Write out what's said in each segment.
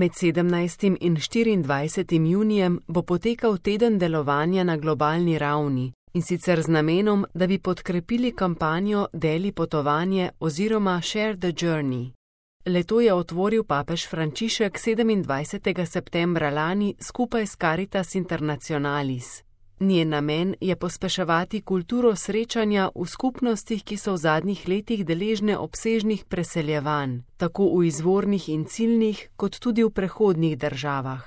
Med 17. in 24. junijem bo potekal teden delovanja na globalni ravni, in sicer z namenom, da bi podkrepili kampanjo Deli potovanje oziroma Share the Journey. Leto je otvoril papež Frančišek 27. septembra lani skupaj s Caritas Internationalis. Njen namen je pospeševati kulturo srečanja v skupnostih, ki so v zadnjih letih deležne obsežnih preseljevanj, tako v izvornih in ciljnih, kot tudi v prehodnih državah.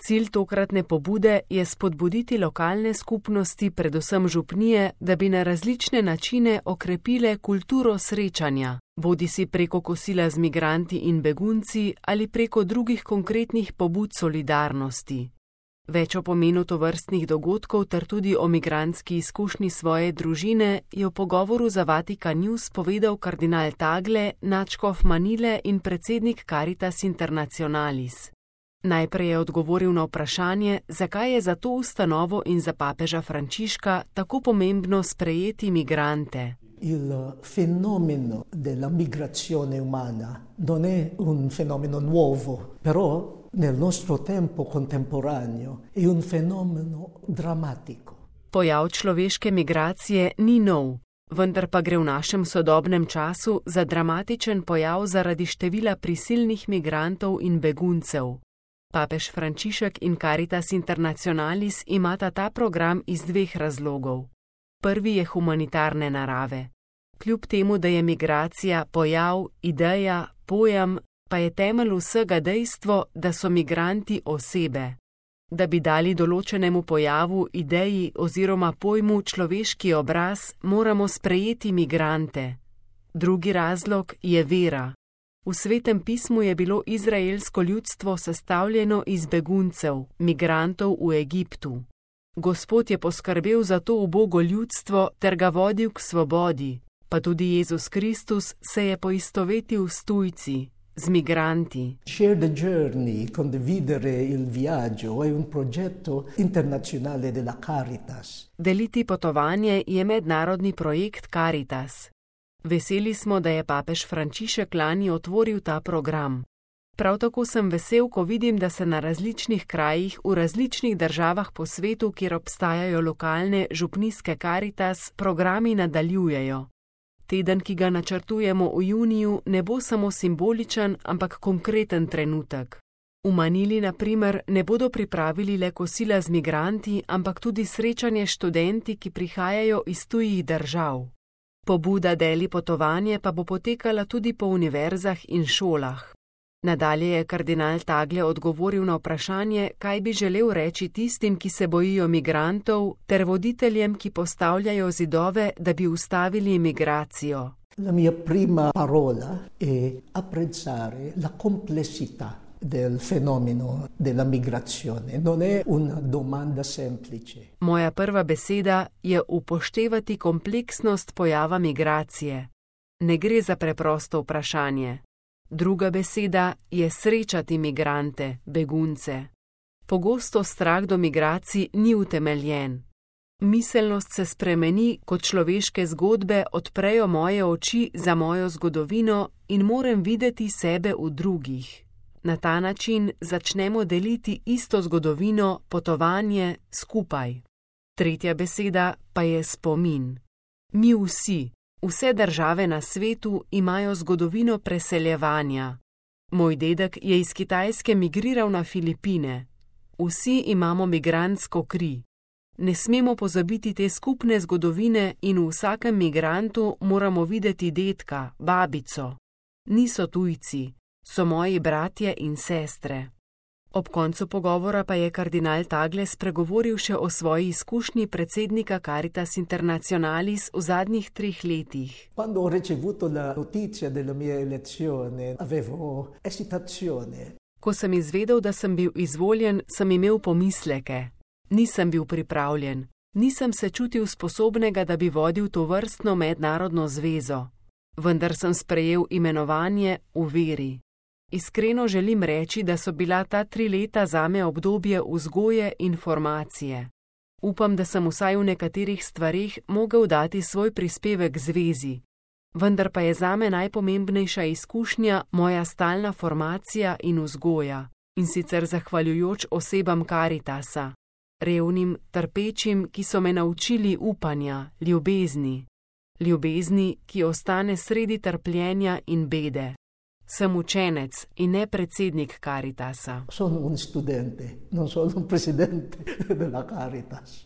Cilj tokratne pobude je spodbuditi lokalne skupnosti, predvsem župnije, da bi na različne načine okrepile kulturo srečanja, bodisi preko kosila z migranti in begunci ali preko drugih konkretnih pobud solidarnosti. Več o pomenu tovrstnih dogodkov ter tudi o migrantski izkušnji svoje družine je v pogovoru za Vatikan News povedal kardinal Tagle, nadškof Manile in predsednik Caritas Internationalis. Najprej je odgovoril na vprašanje, zakaj je za to ustanovo in za papeža Frančiška tako pomembno sprejeti migrante. Il fenomeno della migrazione umana non è un fenomeno nuovo, però nel nostro tempo contemporaneo è un fenomeno drammatico. Pojav človeške migracije ni nov, vendar pa gre v našem sodobnem času za dramatičen pojav zaradi števila prisilnih migrantov in beguncev. Papež Frančišek in Caritas Internationalis imata ta program iz dveh razlogov. Prvi je humanitarne narave. Kljub temu, da je migracija pojav, ideja, pojem, pa je temelj vsega dejstvo, da so migranti osebe. Da bi dali določenemu pojavu, ideji oziroma pojmu človeški obraz, moramo sprejeti migrante. Drugi razlog je vera. V Svetem pismu je bilo izraelsko ljudstvo sestavljeno iz beguncev, migrantov v Egiptu. Gospod je poskrbel za to ubogo ljudstvo ter ga vodil k svobodi, pa tudi Jezus Kristus se je poistovetil s tujci, z migranti. Share the Journey, condividere il viaggio, è un progetto internazionale della Caritas. Deliti potovanje je mednarodni projekt Caritas. Veseli smo, da je papež Frančišek lani otvoril ta program. Prav tako sem vesel, ko vidim, da se na različnih krajih, v različnih državah po svetu, kjer obstajajo lokalne župnijske Caritas, programi nadaljujejo. Teden, ki ga načrtujemo v juniju, ne bo samo simboličen, ampak konkreten trenutek. V Manili, na primer, ne bodo pripravili le kosila z migranti, ampak tudi srečanje študenti, ki prihajajo iz tujih držav. Pobuda Deli potovanje pa bo potekala tudi po univerzah in šolah. Nadalje je kardinal Tagle odgovoril na vprašanje, kaj bi želel reči tistim, ki se bojijo migrantov, ter voditeljem, ki postavljajo zidove, da bi ustavili migracijo. La mia prima parola è apprezzare la complessità del fenomeno della migrazione. Non è una domanda semplice. Moja prva beseda je upoštevati kompleksnost pojava migracije. Ne gre za preprosto vprašanje. Druga beseda je srečati migrante, begunce. Pogosto strah do migracij ni utemeljen. Miselnost se spremeni, kot človeške zgodbe odprejo moje oči za mojo zgodovino in moram videti sebe v drugih. Na ta način začnemo deliti isto zgodovino, potovanje skupaj. Tretja beseda pa je spomin. Mi vsi, vse države na svetu imajo zgodovino preseljevanja. Moj dedek je iz Kitajske migriral na Filipine. Vsi imamo migrantsko kri. Ne smemo pozabiti te skupne zgodovine in v vsakem migrantu moramo videti dedka, babico. Niso tujci. So moji bratje in sestre. Ob koncu pogovora pa je kardinal Tagle spregovoril še o svoji izkušnji predsednika Caritas Internationalis v zadnjih 3 letih. Quando ho ricevuto la notizia della mia elezione, avevo esitazione. Ko sem izvedel, da sem bil izvoljen, sem imel pomisleke. Nisem bil pripravljen. Nisem se čutil sposobnega, da bi vodil tovrstno mednarodno zvezo. Vendar sem sprejel imenovanje v veri. Iskreno želim reči, da so bila ta 3 leta zame obdobje vzgoje in formacije. Upam, da sem vsaj v nekaterih stvareh mogel dati svoj prispevek zvezi. Vendar pa je zame najpomembnejša izkušnja moja stalna formacija in vzgoja. in sicer zahvaljujoč osebam Karitasa, revnim, trpečim, ki so me naučili upanja, ljubezni, ki ostane sredi trpljenja in bede. Sem učenec in ne predsednik Karitasa. Sono un studente, non sono un presidente della Caritas.